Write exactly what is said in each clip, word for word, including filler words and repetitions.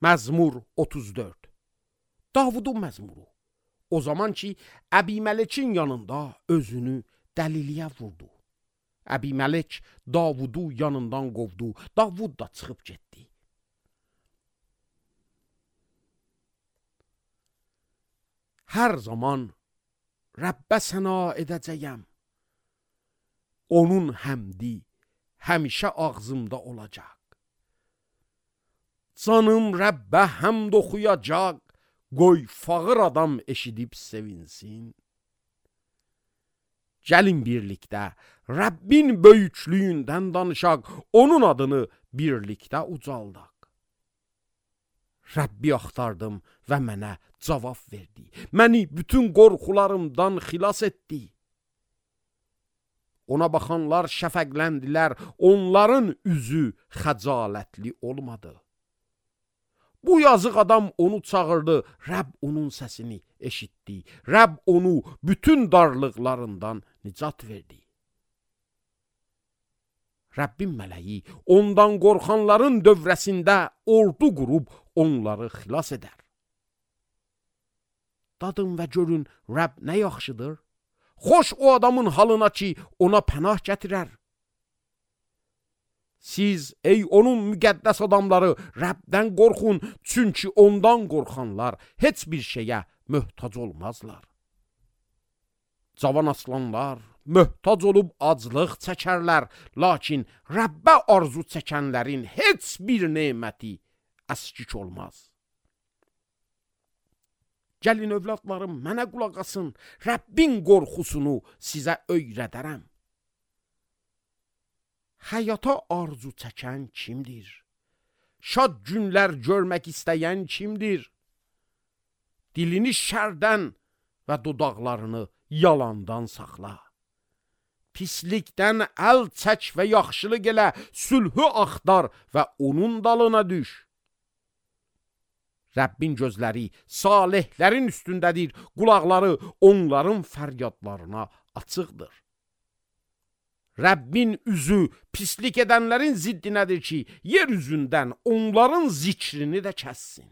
Məzmur otuz dörd. Davudun məzmuru. O zaman ki, Əbimələkin yanında özünü dəliliyə vurdu. Əbimələk Davudu yanından qovdu. Davud da çıxıb getdi. Hər zaman Rəbbə səna edəcəyəm. Onun həmdi həmişə ağzımda olacaq. Canım Rəbbə həmd oxuyacaq. Qoy fağır adam eşidib sevinsin. Gəlin birlikdə Rəbbin böyüklüyündən danışaq, onun adını birlikdə ucaldaq. Rəbbi axtardım və mənə cavab verdi. Məni bütün qorxularımdan xilas etdi. Ona baxanlar şəfəqləndilər, onların üzü xəcalətli olmadı. Bu yazıq adam onu çağırdı, Rəbb onun səsini eşitdi. Rəbb onu bütün darlıqlarından nicat verdi. Rəbbin mələyi ondan qorxanların dövrəsində ordu qurub onları xilas edər. Dadın və görün, Rəbb nə yaxşıdır? Xoş o adamın halına ki, ona pənah gətirər. Siz, ey onun müqəddəs adamları, Rəbdən qorxun, çünki ondan qorxanlar heç bir şeyə möhtac olmazlar. Cavan aslanlar möhtac olub aclıq çəkərlər, lakin Rəbbə arzu çəkənlərin heç bir neməti əskik olmaz. Gəlin övladlarım, mənə qulaq asın, Rəbbin qorxusunu sizə öyrədərəm. Həyata arzu çəkən kimdir? Şad günlər görmək istəyən kimdir? Dilini şərdən və dodaqlarını yalandan saxla. Pislikdən əl çək və yaxşılıq elə, sülhü axtar və onun dalına düş. Rəbbin gözləri salihlərin üstündədir, qulaqları onların fəryadlarına açıqdır. Rəbbin üzü pislik edənlərin ziddinədir ki, yer üzündən onların zikrini də kəssin.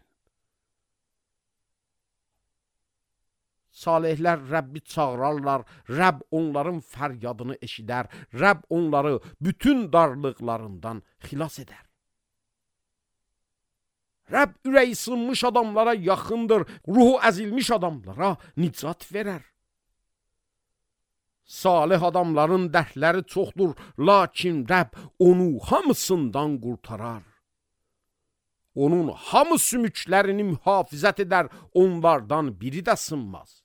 Salihlər Rəbbi çağırarlar, Rəbb onların fəryadını eşidər, Rəbb onları bütün darlıqlarından xilas edər. Rəbb ürəyi sınmış adamlara yaxındır, ruhu əzilmiş adamlara nicat verər. Salih adamların dərdləri çoxdur, lakin Rəbb onu hamısından qurtarar. Onun hamı sümüklərini mühafizət edər, onlardan biri də sınmaz.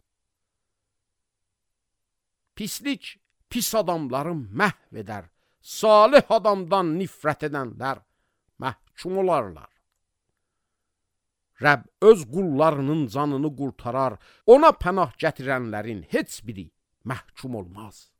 Pislik pis adamları məhv edər, salih adamdan nifrət edənlər məhkum olarlar. Rəbb öz qullarının canını qurtarar, ona pənah gətirənlərin heç biri məhkum olmaz.